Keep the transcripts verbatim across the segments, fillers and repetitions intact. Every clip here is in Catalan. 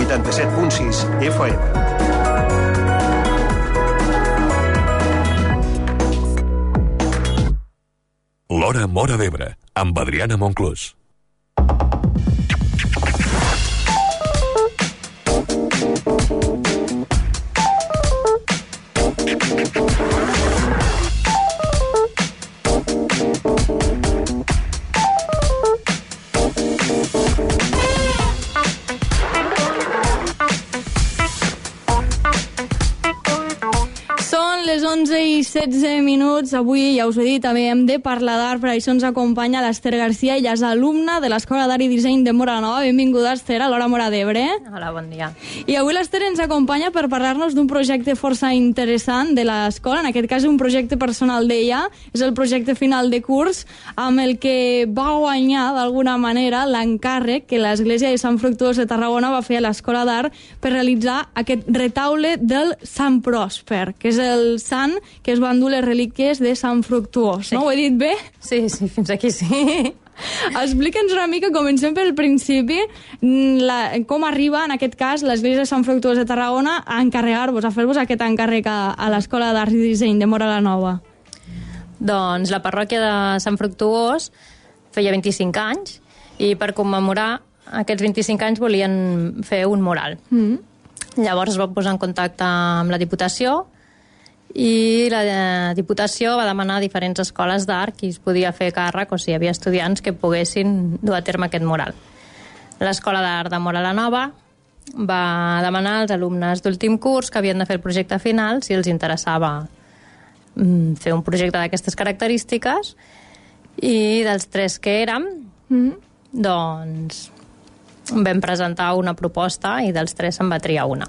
vuitanta-set punt sis F M. L'Hora Móra d'Ebre, amb Adriana Monclús. onze i setze minuts. Avui, ja us ho he dit, també hem de parlar d'art. Per això ens acompanya l'Ester Garcia. Ella és alumna de l'Escola d'Art i Disseny de Móra la Nova. Benvinguda, Ester, a l'Hora Móra d'Ebre. Hola, bon dia. I avui l'Ester ens acompanya per parlar-nos d'un projecte força interessant de l'escola. En aquest cas, un projecte personal d'ella. És el projecte final de curs amb el que va guanyar, d'alguna manera, l'encàrrec que l'Església de Sant Fructuós de Tarragona va fer a l'Escola d'Art per realitzar aquest retaule del Sant Pròsper, que és el sant que es van dur les relíquies de Sant Fructuós. Sí. No ho he dit bé? Sí, sí, fins aquí sí. Explica'ns una mica, comencem pel principi, la, com arriba, en aquest cas, l'Església de Sant Fructuós de Tarragona a encarregar-vos, a fer-vos aquest encàrrec a, a l'Escola d'Art i Disseny de Móra la Nova. Doncs la parròquia de Sant Fructuós feia vint-i-cinc anys i per commemorar aquests vint-i-cinc anys volien fer un mural. Mm. Llavors es va posar en contacte amb la Diputació i la Diputació va demanar a diferents escoles d'art qui es podia fer càrrec o si hi havia estudiants que poguessin dur a terme aquest mural. L'Escola d'Art de Móra la Nova va demanar als alumnes d'últim curs que havien de fer el projecte final si els interessava fer un projecte d'aquestes característiques i dels tres que érem mm. doncs vam presentar una proposta i dels tres se'n va triar una.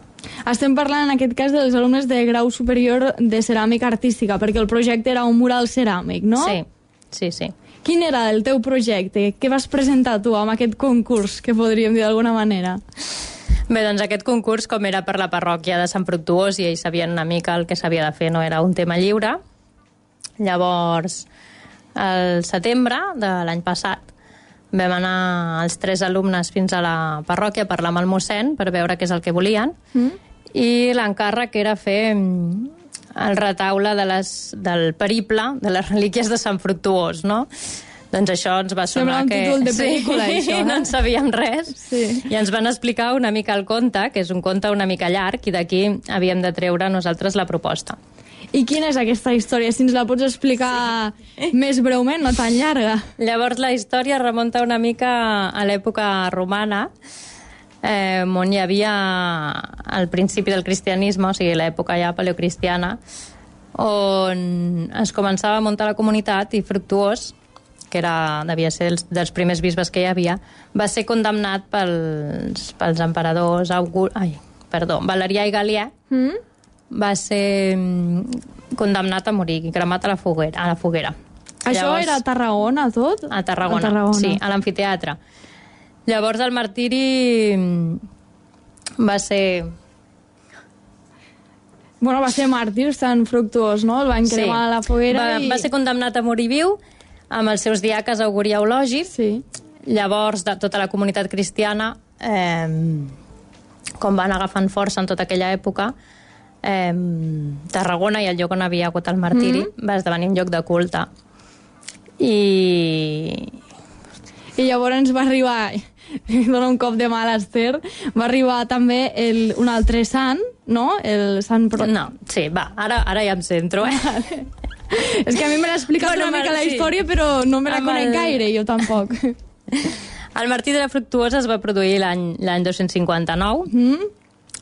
Estem parlant en aquest cas dels alumnes de grau superior de ceràmica artística, perquè el projecte era un mural ceràmic, no? Sí, sí, sí. Quin era el teu projecte? Què vas presentar tu amb aquest concurs, que podríem dir d'alguna manera? Bé, doncs aquest concurs, com era per la parròquia de Sant Fructuós i ells sabien una mica el que s'havia de fer, no era un tema lliure. Llavors, al setembre de l'any passat, vam anar els tres alumnes fins a la parròquia a parlar amb el mossèn per veure què és el que volien mm. i l'encàrrec era fer el retaule de les, del periple de les relíquies de Sant Fructuós, no? Doncs això ens va sonar que... que... Sembla un títol de pel·lícula, sí, això. Eh? No en sabíem res. Sí. I ens van explicar una mica el conte, que és un conte una mica llarg, i d'aquí havíem de treure nosaltres la proposta. I quina és aquesta història? Si ens la pots explicar sí. més breument, no tan llarga. Llavors la història remunta una mica a l'època romana, eh, on hi havia al principi del cristianisme, o sigui, l'època ja paleocristiana, on es començava a muntar la comunitat i Fructuós, que era, devia ser els, dels primers bisbes que hi havia, va ser condemnat pels, pels emperadors August, ai, perdó, Valerià i Galià, mm? va ser condemnat a morir i cremat a la foguera. A la foguera. Això Llavors, era a Tarragona, tot? A Tarragona, a Tarragona, sí, a l'amfiteatre. Llavors el martiri va ser... Bueno, va ser màrtir, Sant Fructuós, no? El van cremar sí. a la foguera va, i... Va ser condemnat a morir viu amb els seus diaques Auguri i Eulogi. Sí. Llavors, de tota la comunitat cristiana, eh, com van agafant força en tota aquella època, Eh, Tarragona i el lloc on havia hagut el martiri mm. va esdevenir un lloc de culte i i llavors va arribar dona un cop de mà a l'Ester va arribar també el, un altre sant, no? El sant Pro... no, sí, va, ara, ara ja em centro eh? És que a mi me l'ha explicat bueno, una mica la història sí. però no me la Amb conec el... gaire, jo tampoc. El martiri de la Fructuosa es va produir l'any l'any dos-cents cinquanta-nou mm.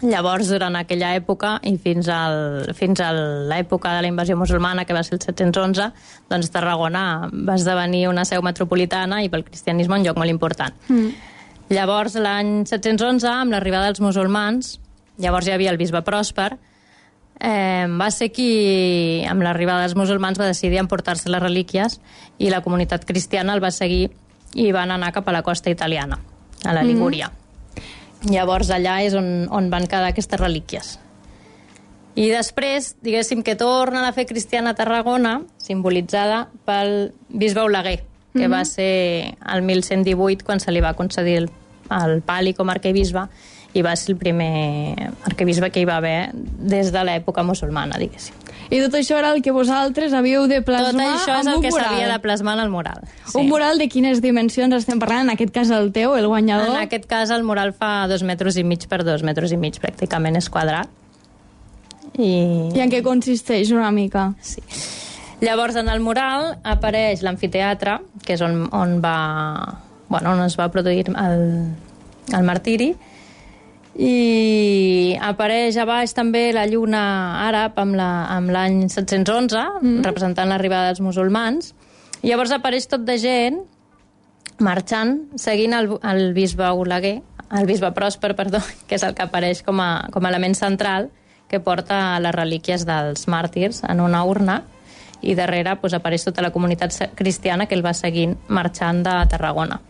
Llavors, durant aquella època i fins, al, fins a l'època de la invasió musulmana, que va ser el set-cents onze, doncs Tarragona va esdevenir una seu metropolitana i pel cristianisme un lloc molt important. Mm. Llavors, l'any set-cents onze, amb l'arribada dels musulmans, llavors hi havia el bisbe Pròsper, eh, va ser qui, amb l'arribada dels musulmans, va decidir emportar-se les relíquies i la comunitat cristiana el va seguir i van anar cap a la costa italiana, a la Ligúria. Mm. Llavors allà és on, on van quedar aquestes relíquies. I després, diguéssim que torna a fer cristiana a Tarragona, simbolitzada pel bisbe Oleguer, que mm-hmm. va ser el mil cent divuit quan se li va concedir el, el pàl·li com a arquebisbe i va ser el primer arquebisbe que hi va haver des de l'època musulmana, diguéssim. I tot això era el que vosaltres havíeu de plasmar tot això és amb el un que mural. s'havia de plasmar en el mural. Sí. Un mural de quines dimensions estem parlant? En aquest cas el teu, el guanyador? En aquest cas el mural fa dos metres i mig per dos metres i mig, pràcticament és quadrat. I, I en què consisteix una mica? Sí. Llavors, en el mural apareix l'amfiteatre, que és on, on, va, bueno, on es va produir el, el martiri, i apareix a baix també la lluna àrab amb l'any la, set-cents onze, mm. representant l'arribada dels musulmans. I llavors apareix tot de gent marxant, seguint el, el bisbe Oleguer, el bisbe Pròsper, perdó, que és el que apareix com a, com a element central, que porta les relíquies dels màrtirs en una urna, i darrere pues, apareix tota la comunitat cristiana que el va seguint marxant de Tarragona.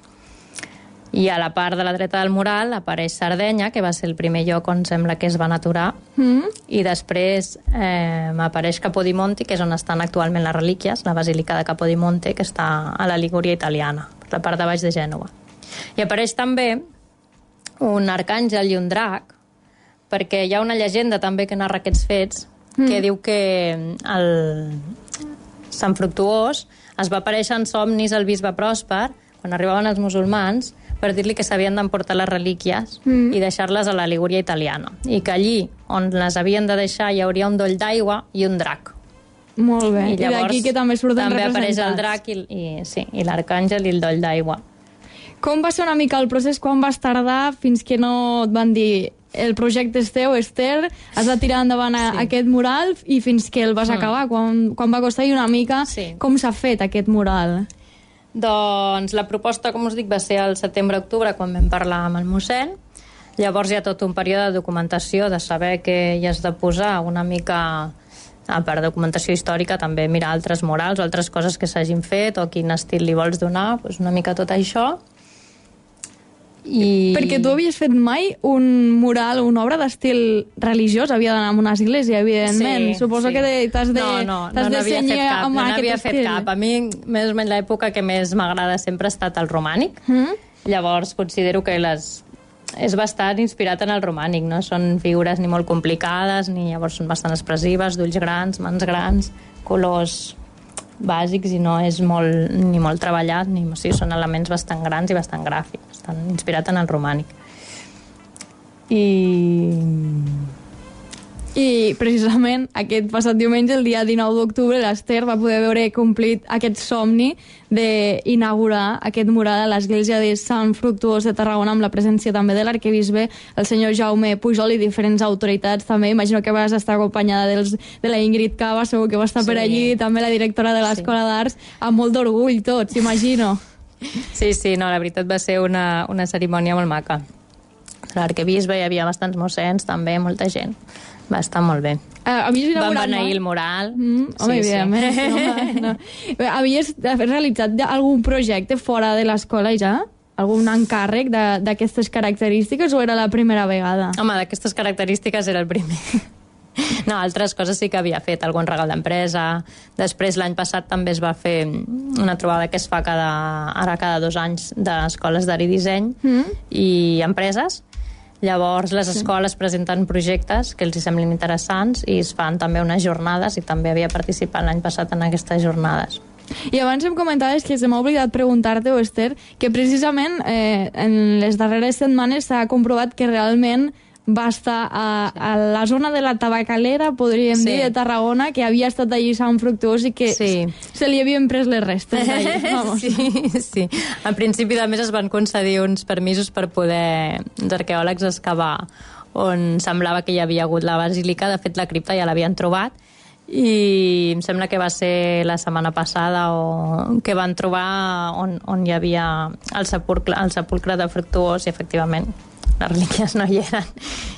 I a la part de la dreta del mural apareix Sardenya, que va ser el primer lloc on sembla que es van aturar, mm. i després eh, apareix Capodimonte, que és on estan actualment les relíquies, la basílica de Capodimonte, que està a la Ligúria italiana, per la part de baix de Gènova. I apareix també un arcàngel i un drac, perquè hi ha una llegenda també que narra aquests fets, mm. que diu que el Sant Fructuós es va aparèixer en somnis al bisbe Pròsper, quan arribaven els musulmans, per dir-li que s'havien d'emportar les relíquies mm. i deixar-les a la Ligúria italiana. I que allí, on les havien de deixar, hi hauria un doll d'aigua i un drac. Molt bé. I, I d'aquí que també surten també representats. També apareix el drac i, i, sí, i l'arcàngel i el doll d'aigua. Com va ser una mica el procés? Quan vas tardar fins que no et van dir el projecte és teu, Esther, has de tirar endavant a, sí. aquest mural i fins que el vas mm. acabar? Quan, quan va costar i una mica sí. com s'ha fet aquest mural? Doncs la proposta, com us dic, va ser al setembre-octubre, quan vam parlar amb el mossèn. Llavors hi ha tot un període de documentació, de saber què hi has de posar, una mica, a part de documentació històrica, també mirar altres murals o altres coses que s'hagin fet o quin estil li vols donar, doncs una mica tot això. I... Perquè tu havies fet mai un mural, una obra d'estil religiós, havia d'anar a una església, evidentment. Sí, Suposo sí. que t'has de, no, no, t'has no de cenyir amb no aquest n'havia estil. fet cap. A mi, més o menys, l'època que més m'agrada sempre ha estat el romànic. Mm? Llavors, considero que les... és bastant inspirat en el romànic, no són figures ni molt complicades, ni llavors són bastant expressives, d'ulls grans, mans grans, colors bàsics, i no és molt, ni molt treballat, ni, o sigui, són elements bastant grans i bastant gràfics, bastant inspirat en el romànic. I... I precisament aquest passat diumenge, el dia dinou d'octubre, l'Esther va poder veure complit aquest somni d'inaugurar aquest mural a l'església de Sant Fructuós de Tarragona, amb la presència també de l'arquebisbe, el senyor Jaume Pujol, i diferents autoritats també. Imagino que vas estar acompanyada dels, de la Ingrid Cava, segur que va estar sí. per allí, també la directora de l'Escola sí. d'Arts, amb molt d'orgull tots, imagino. Sí, sí, no, la veritat va ser una, una cerimònia molt maca. L'arquebisbe, hi havia bastants mossens també, molta gent. Va estar molt bé. Uh, Van beneir el mural. Mm, home, sí, evidentment. Sí. No, no. Havies realitzat algun projecte fora de l'escola ja? Algun encàrrec d'aquestes característiques o era la primera vegada? Home, d'aquestes característiques era el primer. No, altres coses sí que havia fet, algun regal d'empresa. Després, l'any passat, també es va fer una trobada que es fa cada, ara cada dos anys d'escoles d'art i disseny mm. i empreses. Llavors, les escoles sí. presenten projectes que els hi semblin interessants i es fan també unes jornades, i també havia participat l'any passat en aquestes jornades. I abans em comentaves que se m'ha oblidat preguntar-te, Esther, que precisament eh, en les darreres setmanes s'ha comprovat que realment va estar a, a la zona de la Tabacalera, podríem sí. dir, de Tarragona, que havia estat allí Sant Fructuós i que sí. se li havien pres les restes d'allí. Vamos. Sí, sí. Al principi, a més, es van concedir uns permisos per poder els arqueòlegs excavar on semblava que hi havia hagut la basílica. De fet, la cripta ja l'havien trobat, i em sembla que va ser la setmana passada o que van trobar on, on hi havia el sepulcre, el sepulcre de Fructuós, i efectivament les relíquies no hi eren.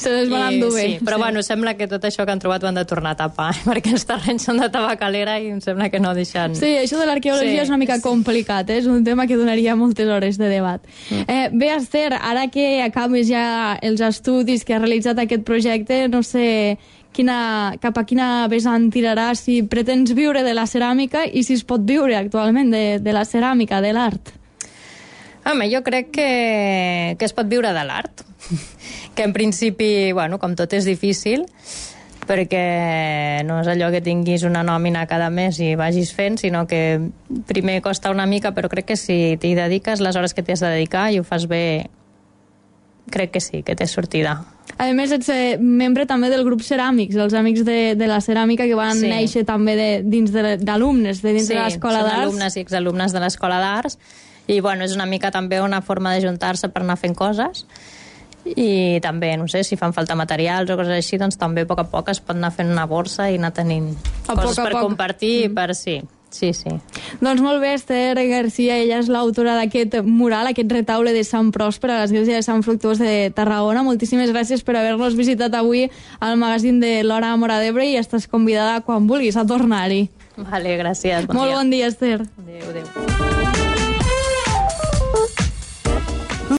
Se les van endur bé. Sí, però sí. bueno, sembla que tot això que han trobat ho han de tornar a tapar, perquè els terrenys són de Tabacalera i em sembla que no deixen... Sí, això de l'arqueologia sí. és una mica complicat, eh? És un tema que donaria moltes hores de debat. Mm. Eh, bé, Esther, ara que acabes ja els estudis que has realitzat aquest projecte, no sé quina, cap a quina vessant tiraràs, si pretens viure de la ceràmica i si es pot viure actualment de, de la ceràmica, de l'art. Home, jo crec que, que es pot viure de l'art. que en principi, bueno, com tot és difícil, perquè no és allò que tinguis una nòmina cada mes i vagis fent, sinó que primer costa una mica, però crec que si t'hi dediques les hores que t'hi has de dedicar i ho fas bé, crec que sí, que té sortida. A més, ets eh, membre també del grup Ceràmics, els amics de, de la ceràmica que van sí. néixer també de, dins d'alumnes, de, de dins sí, de l'Escola d'Arts. Sí, són alumnes i exalumnes de l'Escola d'Arts, i bueno, és una mica també una forma de juntar-se per anar fent coses, i també, no sé, si fan falta materials o coses així, doncs també a poc a poc es pot anar fent una borsa i anar tenint a coses per poc. compartir, mm. per sí. Sí, sí. Doncs molt bé, Esther Garcia, ella és l'autora d'aquest mural, aquest retaule de Sant Pròsper a l'església de Sant Fructuós de Tarragona. Moltíssimes gràcies per haver-nos visitat avui al magazín de l'Hora Móra d'Ebre i estàs convidada quan vulguis a tornar-hi. Vale, gràcies. Bon molt dia. Bon dia, Esther. Adéu, adéu.